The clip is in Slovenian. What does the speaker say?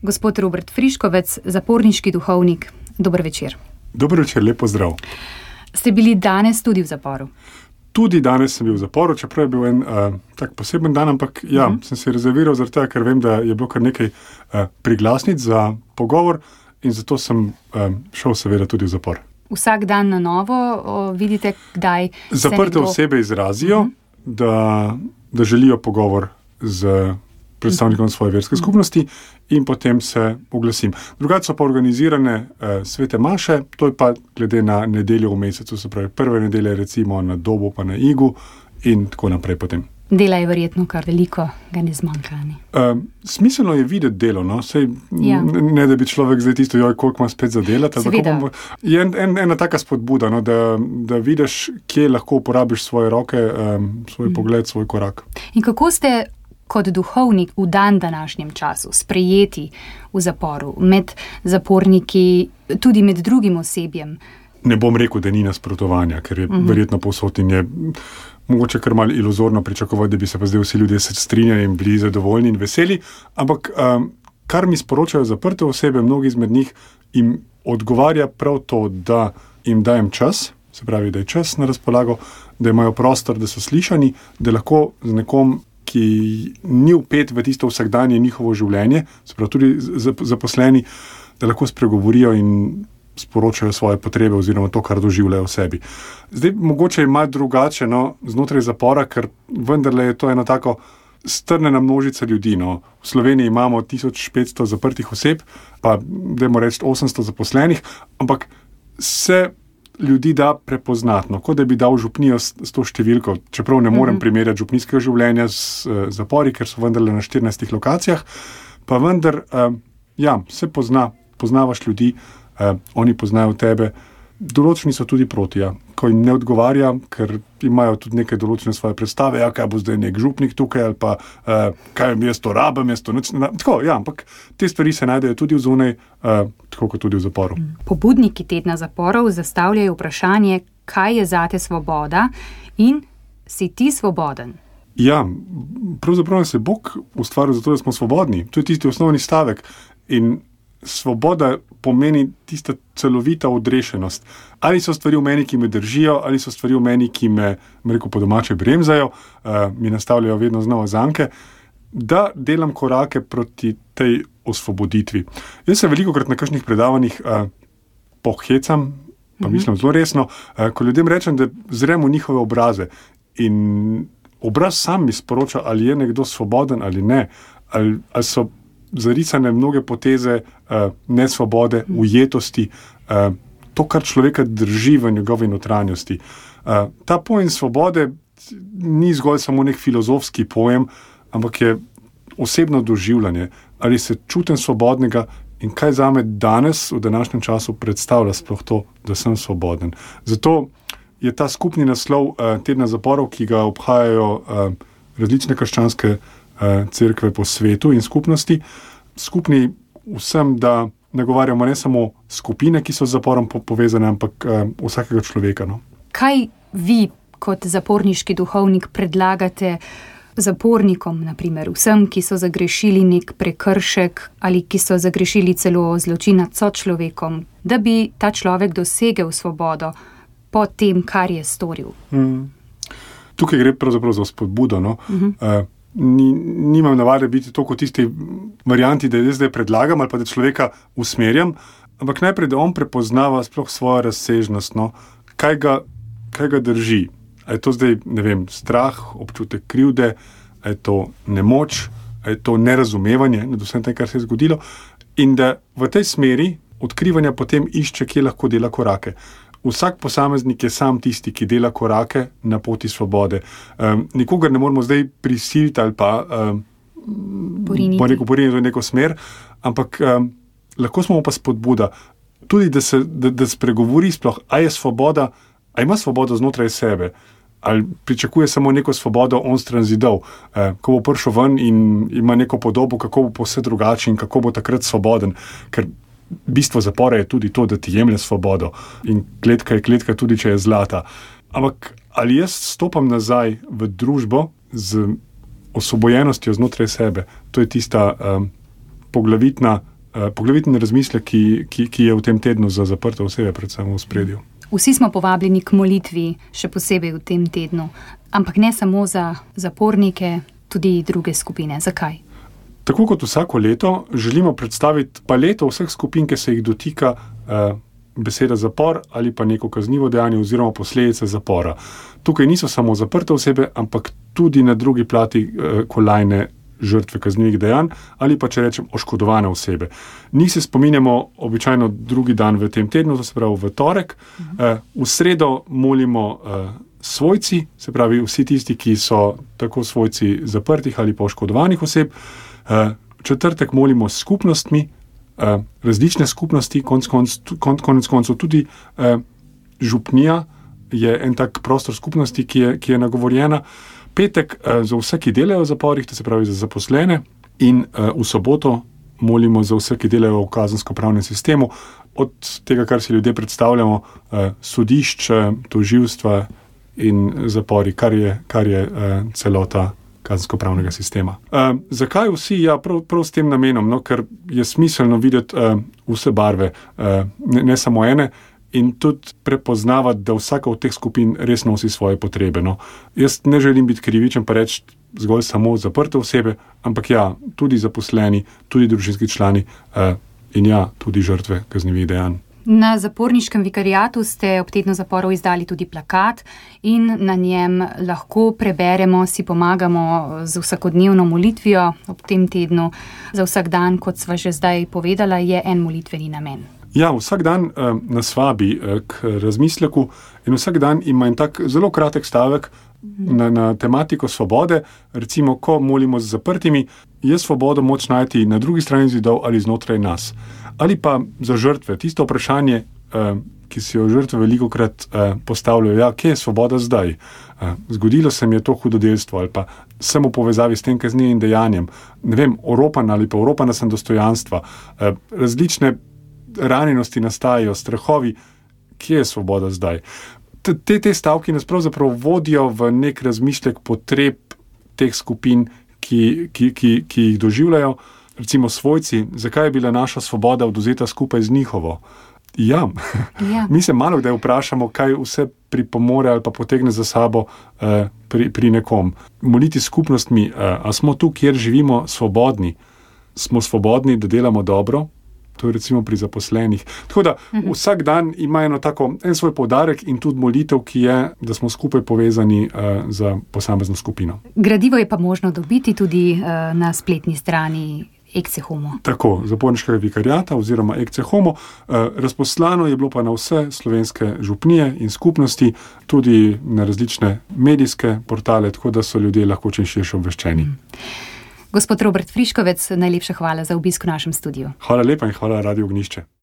Gospod Robert Friškovec, zaporniški duhovnik. Dober večer. Dober večer, lep pozdrav. Ste bili danes tudi v zaporu? Tudi danes sem bil v zaporu, čeprav je bil en tak poseben dan, ampak sem se rezerviral zaradi tega, ker vem, da je bilo kar nekaj priglasnic za pogovor in zato sem šel seveda tudi v zapor. Vsak dan na novo vidite, kdaj se Zaprte osebe izrazijo, da želijo pogovor z predstavnikom svoje verske skupnosti in potem se oglasim. Drugače so pa organizirane svete maše, to je pa glede na nedeljo v mesecu, se pravi prve nedelje recimo na Dobu pa na Igu in tako naprej potem. Dela je verjetno kar veliko, ga ne zmanjka. Smiselno je videti delo, no? Sej, ne da bi človek zdaj tisto, koliko ima spet za delati. Je ena taka spodbuda, no? da vidiš, kje lahko uporabiš svoje roke, svoj pogled, svoj korak. In kako ste kot duhovnik v današnjem času sprejeti v zaporu, med zaporniki, tudi med drugim osebjem? Ne bom rekel, da ni nasprotovanja, ker je verjetno povsod in je mogoče kar malo iluzorno pričakovati, da bi se pa zdaj vsi ljudje strinjali in bili zadovoljni in veseli, ampak kar mi sporočajo zaprte osebe, mnogi izmed njih, jim odgovarja prav to, da jim dajem čas, se pravi, da je čas na razpolago, da imajo prostor, da so slišani, da lahko z nekom, ki ni vpet v tisto vsakdanje njihovo življenje, se pravi tudi zaposleni, da lahko spregovorijo in sporočajo svoje potrebe oziroma to, kar doživljajo v sebi. Zdaj, mogoče je malo drugače znotraj zapora, ker vendarle je to eno tako strnjena množica ljudi. V Sloveniji imamo 1500 zaprtih oseb, pa dajmo reči 800 zaposlenih, ampak se ljudi da prepoznatno, kot da bi dal župnijo s to številko, čeprav ne morem primerjati župnijskega življenja z zapori, ker so vendarle na 14 lokacijah, pa vendar, se poznavaš ljudi, oni poznajo tebe, določeni so tudi proti, ko jim ne odgovarja, ker imajo tudi neke določene svoje predstave, kaj bo zdaj nek župnik tukaj, ali pa kaj jaz to rabim, tako, ampak te stvari se najdejo tudi vzunaj, tako kot tudi v zaporu. Pobudniki tedna zaporov zastavljajo vprašanje, kaj je zate svoboda in si ti svoboden? Pravzaprav se Bog ustvaril zato, da smo svobodni. To je tisti osnovni stavek in svoboda pomeni tista celovita odrešenost. Ali so stvari v meni, ki me držijo, ali so stvari v meni, ki me rekel po domače bremzajo, mi nastavljajo vedno znova zanke, da delam korake proti tej osvoboditvi. Jaz se velikokrat na kakšnih predavanjih pohecam, pa mislim zelo resno, ko ljudem rečem, da zrem v njihove obraze in obraz sam mi sporoča, ali je nekdo svoboden ali ne, ali so zarisane mnoge poteze nesvobode, ujetosti, to, kar človeka drži v njegovi notranjosti. Ta pojem svobode ni zgolj samo nek filozofski pojem, ampak je osebno doživljanje. Ali se čutim svobodnega in kaj zame danes, v današnjem času, predstavlja sploh to, da sem svoboden. Zato je ta skupni naslov tedna zaporov, ki ga obhajajo različne krščanske cerkve po svetu in skupnosti, skupni vsem, da nagovarjamo ne samo skupine, ki so z zaporom povezane, ampak vsakega človeka. Kaj vi kot zaporniški duhovnik predlagate zapornikom, naprimer vsem, ki so zagrešili nek prekršek ali ki so zagrešili celo zločin nad sočlovekom, da bi ta človek dosegel svobodo po tem, kar je storil? Tukaj gre pravzaprav za spodbudo, Nimam navade biti to kot tisti varianti, da zdaj predlagam ali pa da človeka usmerjam, ampak najprej, da on prepoznava sploh svojo razsežnost, kaj ga drži. A je to zdaj, strah, občutek krivde, a je to nemoč, a je to nerazumevanje nad vsem tem, kar se je zgodilo, in da v tej smeri odkrivanja potem išče, kje lahko dela korake. Vsak posameznik je sam tisti, ki dela korake na poti svobode. Nikogar ne moramo zdaj prisiliti ali pa poriniti v neko smer, ampak lahko smo pa spodbuda. Tudi, da spregovori sploh, a je svoboda, a ima svobodo znotraj sebe, ali pričakuje samo neko svobodo onstran zidov, ko bo prišel ven in ima neko podobo, kako bo vse drugače in kako bo takrat svoboden, ker bistvo zapora je tudi to, da ti jemlje svobodo in kletka je kletka tudi, če je zlata. Ampak ali jaz stopam nazaj v družbo z osvobojenostjo znotraj sebe? To je tista poglavitna poglavitni razmislek, ki je v tem tednu za zaprte osebe, predvsem v ospredju. Vsi smo povabljeni k molitvi, še posebej v tem tednu, ampak ne samo za zapornike, tudi druge skupine. Zakaj? Tako kot vsako leto želimo predstaviti paleto vseh skupin, ki se jih dotika beseda zapor ali pa neko kaznivo dejanje oziroma posledice zapora. Tukaj niso samo zaprte osebe, ampak tudi na drugi plati kolajne žrtve kaznivih dejanj ali pa, če rečem, oškodovane osebe. Njih se spominjamo običajno drugi dan v tem tednu, to se pravi v torek. V sredo molimo svojci, se pravi vsi tisti, ki so tako svojci zaprtih ali pa oškodovanih oseb. Četrtek molimo s skupnostmi, različne skupnosti, konec koncev tudi župnija je en tak prostor skupnosti, ki je nagovorjena. Petek za vse, ki delajo v zaporih, to se pravi za zaposlene, in v soboto molimo za vse, ki delajo v kazensko-pravnem sistemu, od tega, kar si ljudje predstavljamo, sodišč, tožilstva in zapori, kar je celota kazensko-pravnega sistema. Zakaj vsi? Ja, prav s tem namenom, ker je smiselno videti vse barve, ne samo ene, in tudi prepoznavati, da vsaka od teh skupin res nosi svoje potrebe. Jaz ne želim biti krivičen pa reči zgolj samo zaprte osebe, ampak ja, tudi zaposleni, tudi družinski člani in ja, tudi žrtve kaznivih dejanj. Na zaporniškem vikariatu ste ob tednu zaporov izdali tudi plakat in na njem lahko preberemo, si pomagamo z vsakodnevno molitvijo ob tem tednu. Za vsak dan, kot sva že zdaj povedala, je en molitveni namen. Ja, vsak dan nas vabi k razmisleku in vsak dan ima en tak zelo kratek stavek na tematiko svobode. Recimo, ko molimo z zaprtimi, je svobodo moč najti na drugi strani zidov ali znotraj nas. Ali pa za žrtve, tisto vprašanje, ki si jo žrtve velikokrat postavljajo, ja, kje je svoboda zdaj? Zgodilo se mi je to hudodelstvo ali pa sem v povezavi s tem kaznivim dejanjem, ne vem, oropan ali pa oropana sem dostojanstva, različne ranjenosti nastajajo, strahovi, kje je svoboda zdaj? Te stavki nas pravzaprav vodijo v nek razmišljek potreb teh skupin, ki jih doživljajo. Recimo svojci, zakaj je bila naša svoboda odvzeta skupaj z njihovo? Ja. Mi se malo kdaj vprašamo, kaj vse pripomore ali pa potegne za sabo pri nekom. Moliti skupnostmi, a smo tu, kjer živimo, svobodni? Smo svobodni, da delamo dobro? To je recimo pri zaposlenih. Tako da vsak dan ima en svoj poudarek in tudi molitev, ki je, da smo skupaj povezani za posamezno skupino. Gradivo je pa možno dobiti tudi na spletni strani Ecce Homo. Tako, zaporniškega vikariata oziroma Ecce Homo. Razposlano je bilo pa na vse slovenske župnije in skupnosti, tudi na različne medijske portale, tako da so ljudje lahko čim širše obveščeni. Gospod Robert Friškovec, najlepša hvala za obisk v našem studiu. Hvala lepa in hvala Radiu Ognjišče.